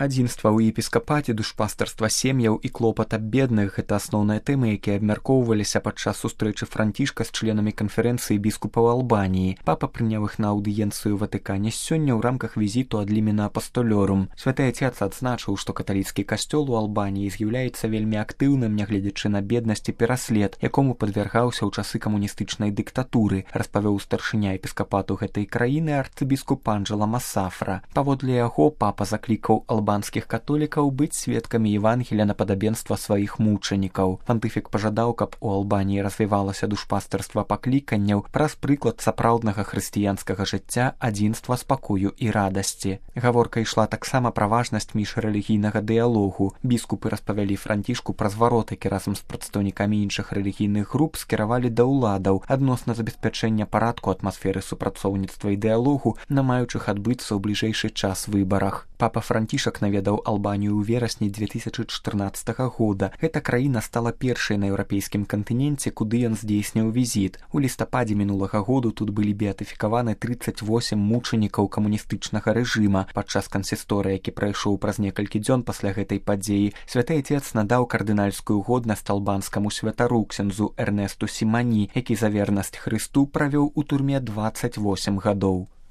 Адзінства ў епіскапаце, душпастарства сем'яў і клопат аб бедных – гэта асноўныя тэмы, якія абмяркоўваліся падчас сустрэчы Францішка з членамі канферэнцыі біскупаў Албаніі. Папа прыняў іх на аўдыенцыю ў Ватыкане сёння ў рамках візіту ад Лімена Апостолёрум. Святы Ацец адзначыў, што каталіцкі касцёл у Албаніі з'яўляецца вельмі актыўным, нягледзячы на беднасць і пераслед, якому падвяргаўся ў часы камуністычнай дыктатуры, распавёў старшыня епіскапату гэтай краіны арцыбіскуп Анджела Масафра. Паводле яго папа заклікаў албанскіх католікаў быць сведкамі Евангелія на падабенства сваіх мучанікаў. Пантыфік пажадаў, каб у Албаніі развівалася душпастарства пакліканняў праз прыклад сапраўднага хрысціянскага жыцця, адзінства, спакою і радасці. Гаворка ішла таксама пра важнасць міжрэлігійнага дыялогу. Біскупы распавялі Францішку пра зварот, які разам з прадстаўнікамі іншых рэлігійных груп скіравалі да ўладаў адносна забеспячэння парадку, атмасферы супрацоўніцтва і дыялогу на маючых адбыцца ў бліжэйшы час выбарах. Папа Францішак наведаў Албанію ў верасні 2014 года. Гэта краіна стала першай на еўрапейскім кантыненце, куды ён здзейсніў візіт. У лістападзе мінулага году тут былі беатыфікаваны 38 мучанікаў камуністычнага рэжыма. Падчас кансісторыі, які прайшоў праз некалькі дзён пасля гэтай падзеі, Святы Ацец надаў кардынальскую годнасць албанскаму святару ксяндзу Эрнесту Сімані, які за вернасць Хрысту правёў у турме 28 гадоў.